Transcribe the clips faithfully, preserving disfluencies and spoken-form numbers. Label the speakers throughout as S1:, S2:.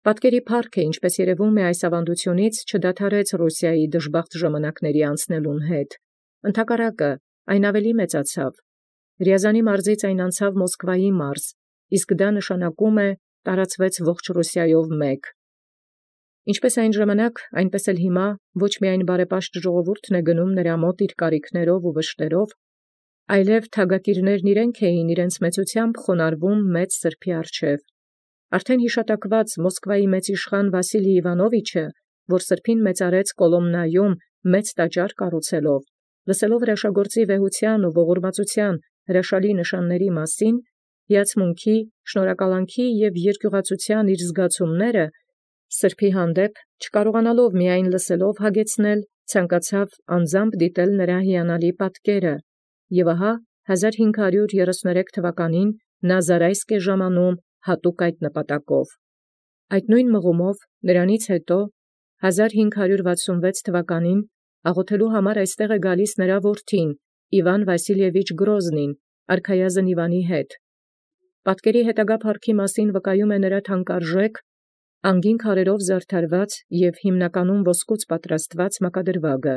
S1: Պատկերի փառքը, ինչպես երևում է այս ավանդութիւնից, չդադարեց Ռուսիայի դժբախտ ժամանակների անցնելուն հետ. ընդհակառակը, այն ավելի մեծացավ. Ռիազանի մարզից այն անցավ Մոսկվայի մարզ, իսկ դա նշանակում է տարածվեց ողջ Ռուսիայով մեկ։ Ինչպես այն ժամանակ, այնպես էլ հիմա ոչ միայն բարեպաշտ ժողովուրդն է գնում նրա մոտ իր կարիքներով ու վշտերով, այլև թագակիրներն իրենք էին իրենց մեծությամբ խոնարհվում մեծ սրբոյ առջև։ Արդեն յիշատակված Մոսկվայի մեծ իշխան Վասիլի Իվանովիչը, որ սրբին մեծարեց Կոլոմնայում մեծ տաճար կառուցելով, լսելով հրաշագործի վեհութեան ու ողորմածութեան հրաշալի նշանների մասին, հիացմունքի, շնորհակալանքի և երկյուղածութեան իր զգացումները, սրբի հանդեպ չկարողանալով միայն լսելով հագեցնել, ցանկացավ անձամբ դիտել նրա հիանալի պատկերը, և ահա հազար հինգ հարյուր երեսուներեք թվականին նա Զարայսկ է ժամանում հատուկ այդ նպատակով։ Այդ նոյն մղումով նրանից հետո հազար հինգ հարյուր վաթսունվեց թվականին աղոթելու համար այստեղ է գալիս նրա որդին Իվան Վասիլիևիչ Գրոզնին, արքայազն Իվանի հետ։ Պատկերի հետագա փառքի մասին վկայում է նրա թանկարժեք, անգին քարերով զարդարված և հիմնականում ոսկուց պատրաստված մակադրվագը։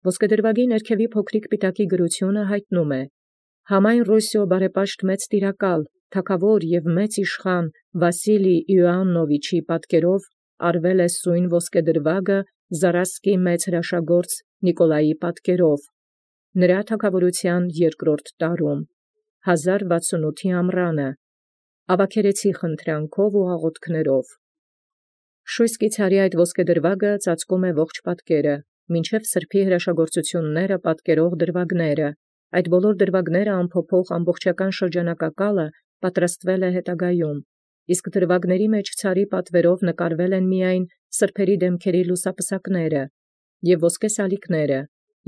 S1: Ոսկեդրվագի ներքևի փոքրիկ պիտակի գրությունը յայտնում է. «Համայն Ռուսիո բարեպաշտ մեծ տիրակալ, թագաւոր և մեծ իշխան Վասիլի Իոաննովիչի պատկերով արվել է սույն ոսկեդրվագը Զարայսկի մեծ հրաշագործ Նիկոլայի պատկերով, նրա թագաւորութեան երկրորդ տարում, հազար վաթսունութի ամռանը, ավագերեցի խնդրանքով ու աղոթքներով»։ Շույս կիցարի այդ ոսկեդրվագը ծածկում է ողջ պատկերը, մինչև սրբի հրաշագործութիւնները պատկերող դրվագները, այդ բոլոր դրվագները ամփոփող ամբողջական շրջանակակալը պատրաստվել է հետագայում, իսկ դրվագների մեջ ցարի պատվերով նկարվել են միայն սրբերի դեմքերի լուսապսակները և ոսկե սալիկները,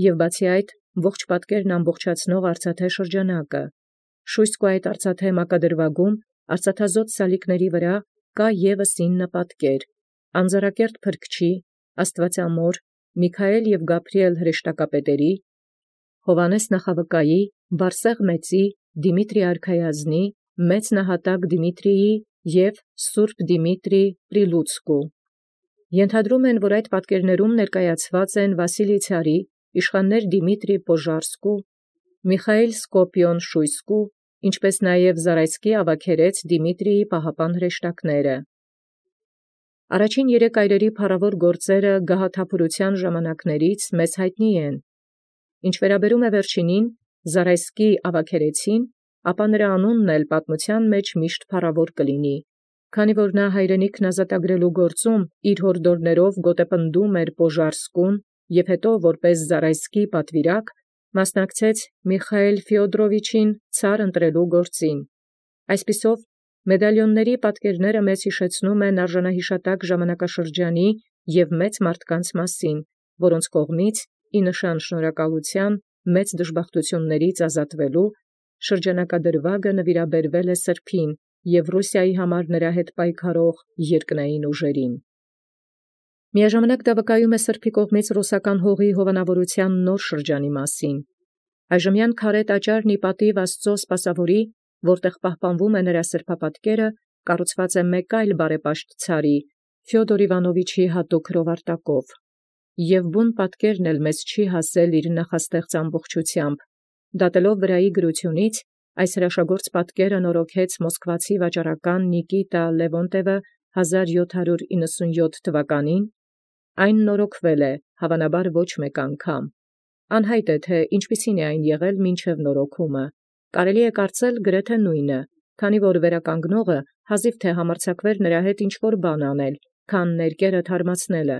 S1: և բացի այդ ողջ պատկերն ամբողջացնող արծաթե շրջանակը։ Շույսկու այդ արծաթե մակադրվագում արծաթազօծ սալիկների վրա կա ևս ինը պատկեր. անձարակերտ փրկչի, Աստուածամոր, Միքայել և Գաբրիել հրեշտակապետերի, Հովհաննես նախավկայի, Բարսեղ մեծի, Դիմիտրի արքայազնի, մեծ նահատակ Դիմիտրիի և սուրբ Դիմիտրի Պրիլուցկու։ Ենթադրում են, որ այդ պատկերներում ներկայացված են Վասիլի ցարի, իշխաններ Դիմիտրի Պոժարսկու, Միխայիլ Սկոպիոն Շույսկու, ինչպես նաև Զարայսկի ավագերեց Դիմիտրիի պահապան հրեշտակները։ Առաջին երեք այրերի փառաւոր գործերը գահաթափորութեան ժամանակներից մեզ յայտնի են։ Ինչ վերաբերում է վերջինին, Զարայսկի ավագերեցին, ապա նրա անունն էլ պատմութեան մեջ միշտ փառաւոր կլինի, քանի որ նա հայրենիքն ազատագրելու գործում իր հորդորներով գոտեպնդում էր Պոժարսկուն և հետո որպես Զարայսկի պատվիրակ մասնակցեց Միխայիլ Ֆեոդորովիչին ցար ընտրելու գործին։ Այսպիսով, մեդալիոնների պատկերները մեզ յիշեցնում են արժանահիշատակ ժամանակաշրջանի և մեծ մարդկանց մասին, որոնց կողմից ի նշան շնորհակալութեան մեծ դժբախտութիւններից ազատվելու շրջանակադրվագը նվիրաբերվել է սրբին և Ռուսիայի համար նրա հետ պայքարող երկնային ուժերին։ Միաժամանակ դա վկայում է սրբի կողմից ռուսական հողի հովանավորութեան նոր շրջանի մասին։ Այժմյան քարէ տաճարն ի պատիւ Աստուծոյ սպասաւորի, որտեղ պահպանվում է նրա սրբապատկերը, կառուցված է մեկ այլ բարեպաշտ ցարի, Ֆեոդոր Իվանովիչի հատուկ հրովարտակով։ Եւ բուն պատկերն էլ մեզ չի հասել իր նախաստեղծ ամբողջութեամբ։ Դատելով վրայի գրութիւնից, այս հրաշագործ պատկերը նորոգեց մոսկվացի վաճառական Նիկիտա Լևոնտևը հազար յոթ հարյուր իննսունյոթ թվականին, այն նորոգվել է, հավանաբար ոչ մեկ անգամ։ Անյայտ է, թե ինչպիսին է այն եղել մինչև նորոգումը։ Կարելի է կարծել գրեթե նույնը, քանի որ վերականգնողը հազիվ թե համարձակվեր նրա հետ ինչ-որ բան անել, քան ներկերը թարմացնելը։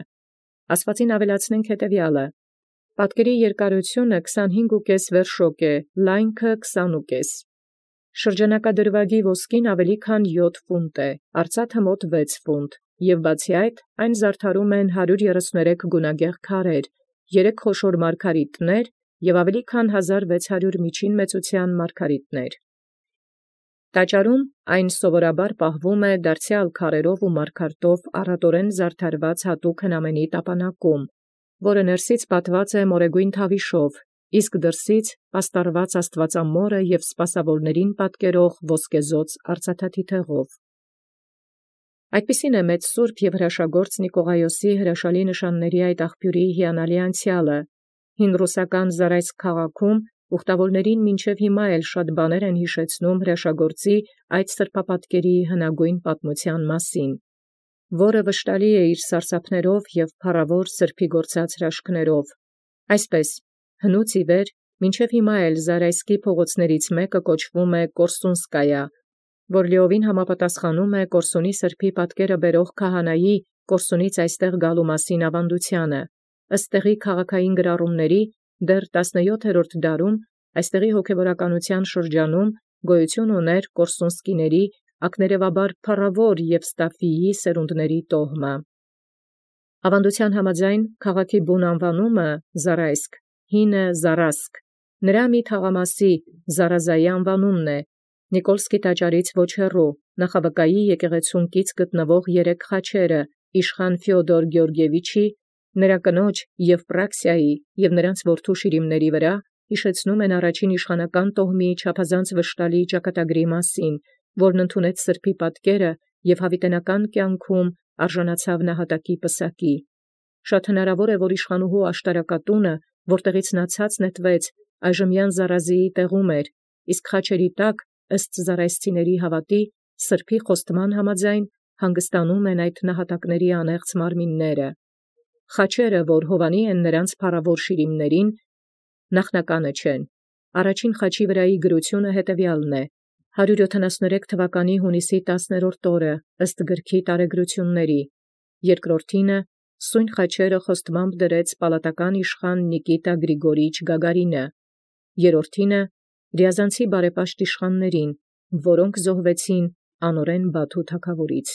S1: Ասվածին ավելացնենք հետևյալը. պատկերի երկարությունը քսանհինգ վերշոկ է, լայնքը քսանուկես։ Շրջանակադրվագի ոսկին ավելի քան յոթ ֆունտ է, արծաթը մոտ վեց ֆունտ, և բացի այդ, այն զարդարում են հարյուր երեսուներեք գունագեղ քարեր, երեք խոշոր մարգարիտներ և ավելի քան հազար վեց հարյուր միջին մեծութեան մարգարիտներ։ Տաճարում այն սովորաբար պահվում է դարձեալ քարերով ու մարգարտով առատորեն զարդարված հատուկ հնամենի տապանակում, որը ներսից պատված է մորեգոյն թավիշով, իսկ դրսից պաստառված Աստուածամորը և սպասաւորացն պատկերող ոսկեզօծ արծաթաթիթեղով։ Այդպիսին է մեծ սուրբ և հրաշագործ Նիկողայոսի հրաշալի նշանների այդ աղբյուրի հիանալի անցեալը, հին ռուսական Զարայսկ քաղաքում ուխտավորներին մինչև հիմա էլ շատ բաներ են հիշեցնում հրաշագործի այդ սրբապատկերի հնագույն պատմության մասին, որը վշտալի է իր սարսափներով և փառավոր սրբի գործած հրաշքներով։ Այսպես, հնուց ի վեր, մինչև հիմա էլ Զարայսկի փողոցներից մեկը կոչվում է Կորսունսկայա, որ լիովին համապատասխանում է Կորսունի սրբի պատկերը բերող քահանայի Կորսունից այստեղ գալու մասին ավանդությանը։ Ըստ տեղի քաղաքային գրառումների, դեռ տասնյոթերորդ դարում այստեղի հոգևորականության շրջանում գոյություն ուներ Կորսունսկիների ակներևաբար փառավոր և Ստաֆիի սերունդների տոհմը։ Ավանդության համաձայն քաղաքի բուն անվանումը Զարայսկ, հինը Զարասկ, նրա մի թաղամասի Զարազայի անվանումն է, Նիկոլսկի տաճարից ոչ հեռու, նախաբկայի եկեղեցուն կից գտնվող երեք խաչերը իշխան Ֆեոդոր Գեորգիևիչի, նրա կնոջ Եվպրաքսիայի և նրանց որդու Շիրիմների վրա հիշեցնում են առաջին իշխանական տոհմի չափազանց վշտալի ճակատագրի մասին, որն ընդունեց սրբի պատկերը և հավիտենական կյանքում արժանացավ նահատակի պսակի։ Շատ հնարավոր է, որ իշխանուհու աշտարակատունը, որտեղից նա ցած նետվեց, այժմյան Զարազիի տեղում էր, իսկ խաչերի տակ, ըստ զարայսցիների հավատի, սրբի խոստման համաձայն հանգստանում են այդ նահատակների անեղծ մարմինները։ Խաչերը, որ հովանի են նրանց փառավոր շիրիմներին, նախնականը չեն։ Առաջին խաչի վրայի գրությունը հետևյալն է. հարյուր յոթանասուներեք թվականի հունիսի տասներորդ օրը, ըստ գրքի տարեգրությունների, երկրորդինը սույն խաչերը խոստմամբ դրեց պալատական իշխան Նիկիտա Գրիգորիչ Գագարինը, երրորդինը Ռիազանցի բարեպաշտ իշխաններին, որոնք զոհվեցին անօրեն Բաթու թագավորից։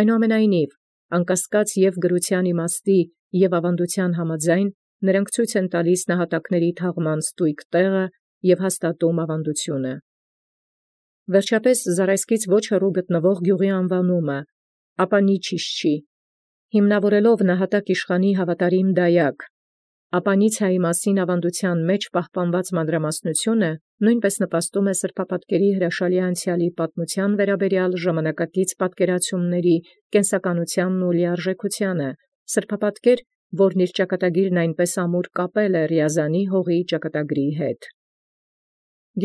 S1: Այնուամենայնիվ, անկասկած և գրության իմաստի և ավանդության համաձայն, նրանք ցույց են տալիս նահատակների թաղման ստույգ տեղը և հաստատում ավանդությունը։ Վերջապես Զարայսկից ոչ հեռու գտնվող գյուղի անվանումը Ապանիչիշչի, հիմնավորելով նահատակ իշխանի հավատարիմ դայակ Ապանիցիայի մասին ավանդության մեջ պահպանված մանրամասնությունը նույնպես նպաստում է սրբապատկերի հրաշալի անցյալի պատմության վերաբերյալ ժամանակակից պատկերացումների կենսականությանն ու լիարժեքությանը, սրբապատկեր, որն իր ճակատագիրն այնպես ամուր կապել է Ռիազանի հողի ճակատագրի հետ։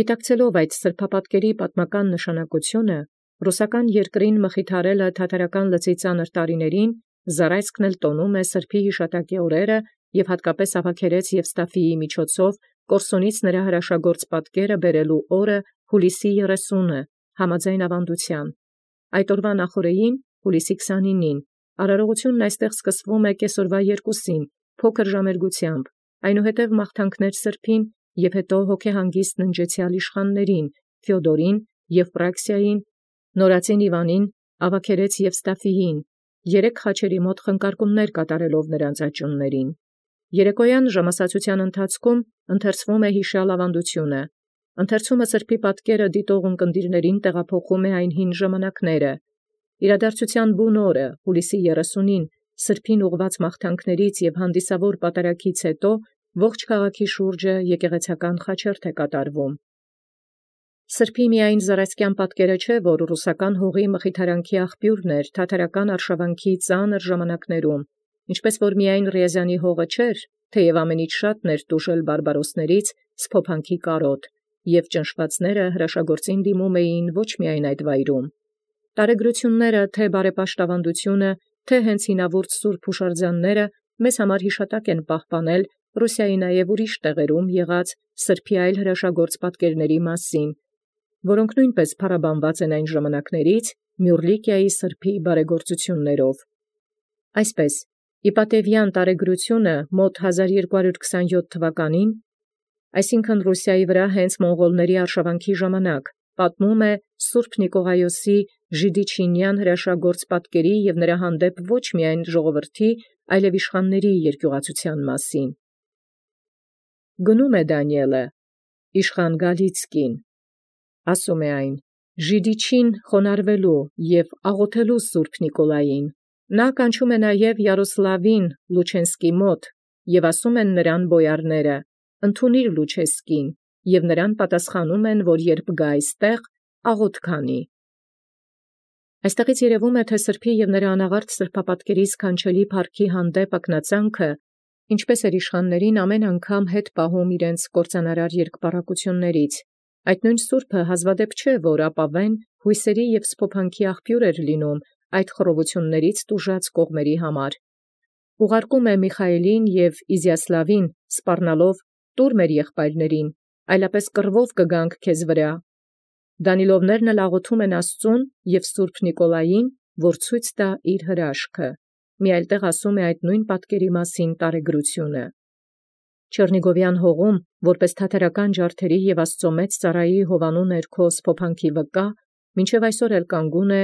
S1: Գիտակցելով այդ սրբապատկերի պատմական նշանակությունը, ռուսական երկրին մխիթարելը թաթարական լծի ծանր տարիներին, Զարայսկն էլ տոնում է սրբի հիշատակի օրերը և հատկապես Ավագերես և Ստաֆիի միջոցով Կորսունից նրա հրաշագործ պատկերը բերելու օրը հուլիսի երեսունը, համաձայն ավանդության։ Այդ օրվա նախօրեին, հուլիսի քսանինին, արարողությունն այստեղ սկսվում է կեսօրվա երկուսին, փոքր ժամերգությամբ, այնուհետև մաղթանքներ սրբին և հետո հոգեհանգիստ ննջեցյալ իշխաններին, Ֆեոդորին, Եվպրաքսիային, նորածին Իվանին, Ավագերես և Ստաֆիին, երեք խաչերի մոտ խնկարկումներ կատարելով նրանց աճյուններին։ Երեկոյան ժամասացության ընթացքում ընթերցվում է հիշյալ ավանդությունը։ Ընթերցումը սրբի պատկերը դիտող ունկնդիրներին տեղափոխում է այն հին ժամանակները։ Իրադարձության բուն օրը, հուլիսի երեսունին, սրբին ուղված մաղթանքներից և հանդիսավոր պատարագից հետո ողջ քաղաքի շուրջը եկեղեցական խաչերթ է կատարվում։ Սրբի միայն զարայսկյան պատկերը չէ, որ ռուսական հողի մխիթարանքի աղբյուրն էր թաթարական արշավանքի ծանր ժամանակներում, ինչպես որ միայն Ռիազանի հողը չէր, թեև ամենից շատն էր տուժել բարբարոսներից, սփոփանքի կարոտ, և ճնշվածները հրաշագործին դիմում էին ոչ միայն այդ վայրում։ Տարեգրությունները, թե բարեպաշտ ավանդությունը, թե հենց հինավուրց սուրբ հուշարձանները մեզ համար հիշատակ են պահպանել Ռուսիայի նաև ուրիշ տեղերում եղած սրբի այլ հրաշագործ պատկերների մասին, որոնք նույնպես փառաբանված են այն ժամանակներից Մյուռլիկիայի սրբի բարեգործություններով։ Այսպես, Իպատևյան տարեգրությունը մոտ հազար երկու հարյուր քսանյոթ թվականին, այսինքն Ռուսիայի վրա հենց մոնղոլների արշավանքի ժամանակ, պատմում է Սուրբ Նիկողայոսի Ժիդիչինյան հրաշագործ պատկերի և նրա հանդեպ ոչ միայն ժողովրդի, այլև իշխանների երկյուղացության մասին։ Գնում է Դանիէլը, իշխան Գալիցկին, ասում է այն. Ժիդիչին խոնարհվելու և աղոթելու Սուրբ Նիկոլային, նա կանչում է նաև Յարոսլավին Լուչենսկի մոտ, և ասում են նրան բոյարները. ընդունիր Լուչեսկին, և նրան պատասխանում են, որ երբ գա այստեղ, աղոթք անի։ Այստեղից երևում է, թե սրբի և նրա անաղարտ սրբապատկերի սքանչելի փառքի հանդեպ ակնածանքը, ինչպես էր իշխաններին ամեն անգամ հետ պահում իրենց կործանարար երկպառակություններից։ Այդ նույն սուրբը հազվադեպ չէ, որ ապավեն հույսերի և սփոփանքի աղբյուր էր լինում այդ խռովություններից տուժած կողմերի համար։ Ուղարկում է Միխայիլին և Իզիասլավին սպառնալով «Տուր մեր եղբայրներին, այլապես կռվով կգանք քեզ վրա»։ Դանիլովներն էլ աղոթում են Աստծուն և Սուրբ Նիկոլային, որ ցույց տա իր հրաշքը։ Մի այլ տեղ ասում է այդ նույն պատկերի մասին տարեգրությունը։ Չեռնիգովյան հողում, որպես թաթարական ջարդերի և Աստծո մեծ ծառայի Հովանու ներքո սփոփանքի վկա, մինչև այսօր էլ կանգուն է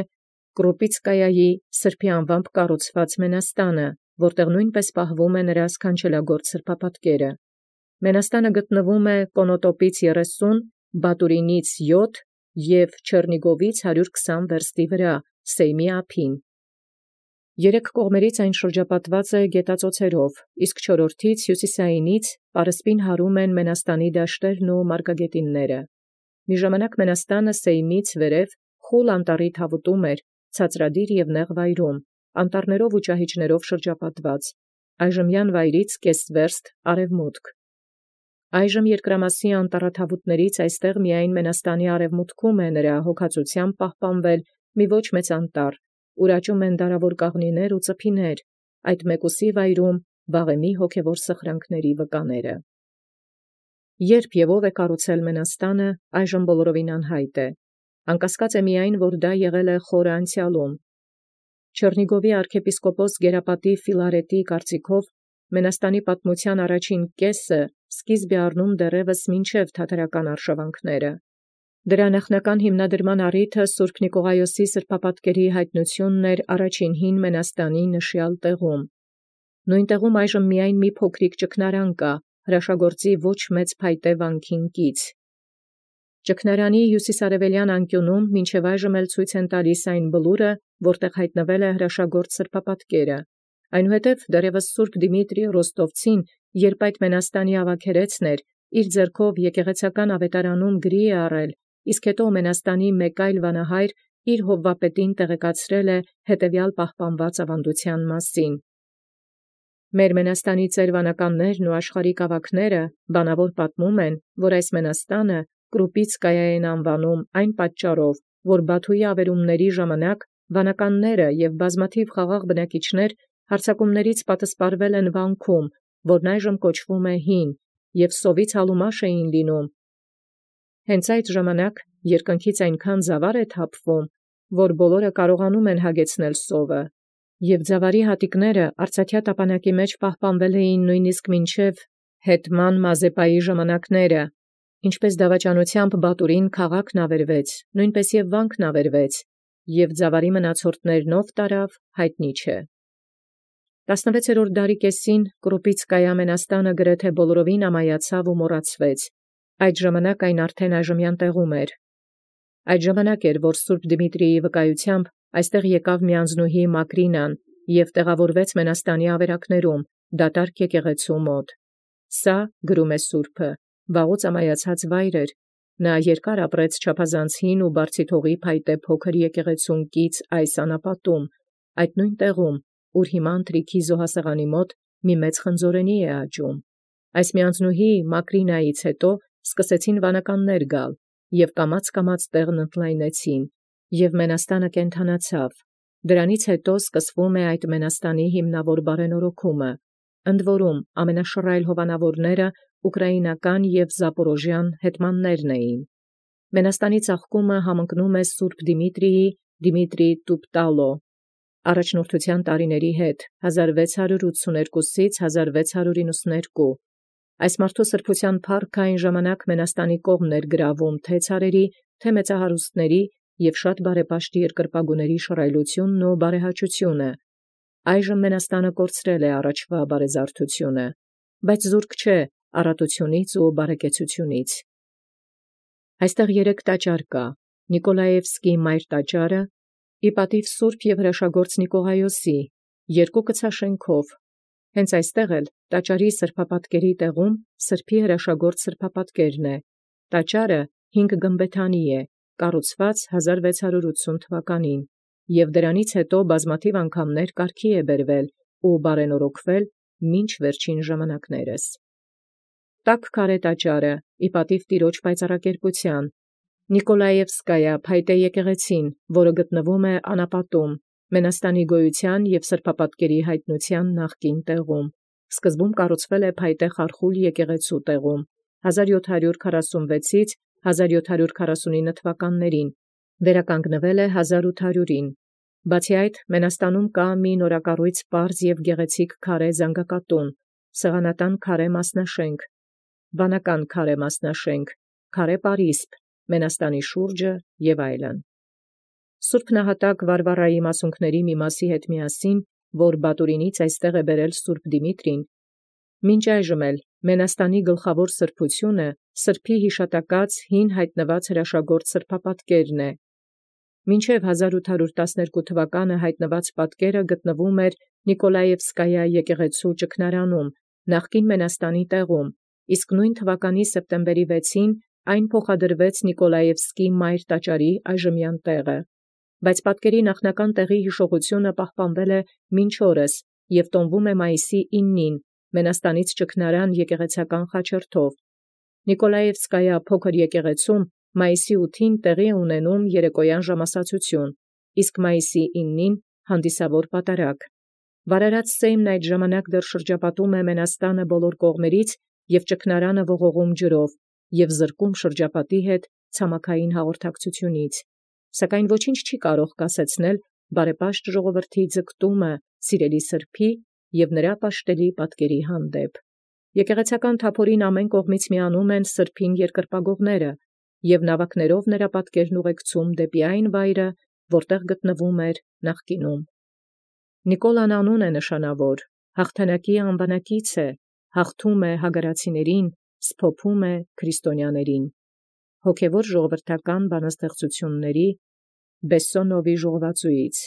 S1: Կրուպիցկայայի սրբի անվամբ կառուցված մենաստանը, որտեղ նույնպես պահվում է նրա սքանչելագործ սրբապատկերը։ Մենաստանը գտնվում է Կոնոտոպից երեսուն, Բատուրինից յոթ և Չեռնիգովից հարյուր քսան վերստի վրա, Սեյմի ափին։ Երեք կողմերից այն շրջապատված է գետածոցերով, իսկ չորրորդից հյուսիսայինից պարսպին հարում են մենաստանի դաշտերն ու մարգագետինները։ Մի ժամանակ մենաստանը Սեյմից վերև խուլ անտառի թավուտում էր, ցածրադիր և նեղ վայրում, անտառներով ու ճահիճներով շրջապատված, այժմյան վայրից կես վերստ արևմուտք։ Այժմ երկրամասի անտառաթավուտներից այստեղ միայն մենաստանի արևմուտքում է նրա հոգածությամբ պահպանվել մի ոչ մեծ անտառ, ուր աճում են դարավոր կաղնիներ ու ծփիներ, այդ մեկուսի վայրում վաղեմի հոգևոր սխրանքների վկաները։ Երբ և ով է կառուցել մենաստանը, այժմ բոլորովին անհայտ է։ Անկասկած է միայն, որ դա եղել է խորը անցյալում։ Չեռնիգովի arczepiskopos Գերապատի Ֆիլարետի կարծիքով մենաստանի պատմության առաջին կեսը սկիզբ է առնում դեռևս մինչև թաթարական արշավանքները։ Դրա նախնական հիմնադրման առիթը Սուրբ Նիկողայոսի սրբապատկերի հայտնությունն էր առաջին հին մենաստանի նշյալ տեղում։ Նույն տեղում այժմ միայն մի փոքրիկ ճգնարան կա, հրաշագործի ոչ մեծ փայտե վանքին կից։ Ճգնարանի հյուսիսարևելյան անկյունում մինչև այժմ էլ ցույց են տալիս այն բլուրը, որտեղ հայտնվել է հրաշագործ սրբապատկերը։ Այնուհետև դեռևս Սուրբ Դիմիտրի Ռոստովցին, երբ այդ մենաստանի ավագերեցն էր, իր ձեռքով եկեղեցական ավետարանում գրի է առել, իսկ հետո մենաստանի մեկ այլ վանահայր իր հովվապետին տեղեկացրել է հետևյալ պահպանված ավանդության մասին։ Մեր մենաստանի ծերվանականներն ու աշխարհիկ ավագները բանավոր պատմում են, որ այս մենաստանը Կրուպիցկայա են անվանում այն պատճառով, որ Բաթուի ավերումների ժամանակ վանականները և բազմաթիվ խաղաղ բնակիչներ հարձակումներից պատսպարվել են վանքում, որն այժմ կոչվում է Հին, և սովից հալումաշ էին լինում։ Հենց այդ ժամանակ երկնքից այնքան զավար է թափվում, որ բոլորը կարողանում են հագեցնել սովը, և ձավարի հատիկները արծաթյա տապանակի մեջ պահպանվել էին նույնիսկ մինչև Հետման Մազեպայի ժամանակները, ինչպես դավաճանությամբ Բատուրին քաղաքն ավերվեց, նույնպես և վանքն ավերվեց, և ձավարի մնացորդներն ով տարավ, հայտնի չէ։ տասնվեցերորդ դարի կեսին Կրուպիցկայա մենաստանը գրեթե բոլորովին ամայացավ ու մոռացվեց։ Այդ ժամանակ այն արդեն այժմյան տեղում էր։ Այդ ժամանակ էր, որ Սուրբ Դիմիտրիի վկայությամբ այստեղ եկավ մի անձնուհի Մակրինան և տեղավորվեց մենաստանի ավերակներում, դատարկ եկեղեցու մոտ։ Սա, գրում է սուրբը, վաղուց ամայացած վայր էր։ Նա երկար ապրեց չափազանց հին ու բարձիթողի փայտե փոքր եկեղեցուն կից այս անապատում, այդ նույն տեղում, ուր հիմա ընթրիքի զոհասեղանի մոտ մի մեծ խնձորենի է աճում։ Այս միանձնուհի Մակրինայից հետո սկսեցին վանականներ գալ, և կամաց-կամաց տեղն ընդլայնեցին, և մենաստանը կենդանացավ։ Դրանից հետո սկսվում է այդ մենաստանի հիմնավոր բարենորոգումը։ Ընդ որում ամենաշռայլ հովանավորները ուկրաինական և զապորոժյան հետմաններն էին։ Մենաստանի ծաղկումը համընկնում է Սուրբ Դիմիտրիի Դիմիտրի Տուպտալո առաջնորդության տարիների հետ հազար վեց հարյուր ութսուներկուսից հազար վեց հարյուր իննսուներկու։ Այս մարդու սրբության փառքը այն ժամանակ մենաստանի կողմն էր գրավում թե ցարերի, թե մեծահարուստների և շատ բարեպաշտ երկրպագուների շռայլությունն ու բարեհաճությունը։ Այժմ մենաստանը կորցրել է առաջվա բարեզարդությունը, բայց զուրկ չէ առատությունից ու բարեկեցությունից։ Այստեղ երեք տաճար կա. Նիկոլաևսկի մայր տաճարը, ի պատիվ Սուրբ և հրաշագործ Նիկողայոսի, երկու կցաշենքով։ Հենց այստեղ էլ տաճարի սրբապատկերի տեղում սրբի հրաշագործ սրբապատկերն է։ Տաճարը հինգ գմբեթանի է, կառուցված հազար վեց հարյուր ութսուն թվականին։ և դրանից հետո բազմաթիւ անգամներ կարգի է բերվել ու բարենորոգվել մինչ վերջին ժամանակներս։ Տաք քարէ տաճարը ի պատիւ Տիրոջ պայծառակերպութեան, Նիկոլաևսկայա փայտե եկեղեցին, որը գտնվում է անապատում, Մենաստանի գոյութեան և սրբապատկերի յայտնութեան նախկին տեղում, սկզբում կառուցվել է փայտե խարխուլ եկեղեցու տեղում, հազար յոթ հարյուր քառասունվեցից հազար յոթ հարյուր քառասունինը թվականներին, վերականգնվել է հազար ութ հարյուրին։ Բացի այդ, Մենաստանում կա մի նորակառույց պարզ և գեղեցիկ քարե զանգակատուն, սեղանատան քարե մասնաշենք, վանական քարե մասնաշենք, քարե պարիսպ, Մենաստանի շուրջը և այլն։ Սուրբ նահատակ Վարվարայի մասունքների մի մասի հետ միասին, որ Բատուրինից այստեղ է բերել Սուրբ Դիմիտրին, մինչ այժմ էլ Մենաստանի գլխավոր սրբությունը սրբի յիշատակած հին յայտնված հրաշագործ սրբապատկերն է։ Մինչև հազար ութ հարյուր տասներկու թվականը յայտնված պատկերը գտնվում էր Նիկոլաևսկայա եկեղեցու ճգնարանում, նախկին Մենաստանի տեղում, իսկ նույն թվականի սեպտեմբերի վեցին այն փոխադրվեց Նիկոլաևսկի մայր տաճարի այժմյան տեղը, բայց պատկերի նախնական տեղի յիշողությունը պահպանվել է մինչ օրս և տոնվում է մայիսի իննին Մենաստանից ճգնարան եկեղեցական խաչերթով։ Նիկոլաևսկայա փոքր եկեղեցում մայիսի ութին տեղի է ունենում երեկոյան ժամասացություն, իսկ մայիսի իննին հանդիսավոր պատարագ։ Վարարած սեյմն այդ ժամանակ դեռ շրջապատում է Մենաստանը բոլոր կողմերից և ճգնարանը ողողում ջրով և զրկում շրջապատի հետ ցամաքային հաղորդակցութիւնից, սակայն ոչինչ չի կարող կասեցնել բարեպաշտ ժողովրդի ձգտումը սիրելի սրբոյ և նրա պաշտելի պատկերի հանդեպ։ Եկեղեցական թափորին ամեն կողմից միանում են սրբին երկրպագովները և նաւակներով նրա պատկերն ուղեկցում դեպի այն վայրը, որտեղ գտնվում էր նախկինում։ Նիկոլան անուն է նշանավոր, հաղթանակի անվանակից է, հաղթում է հագարացիներին, սփոփում է քրիստոնյաներին։ Հոգևոր ժողովրդական բանաստեղծութիւնների Բեսսոնովի ժողովածուից։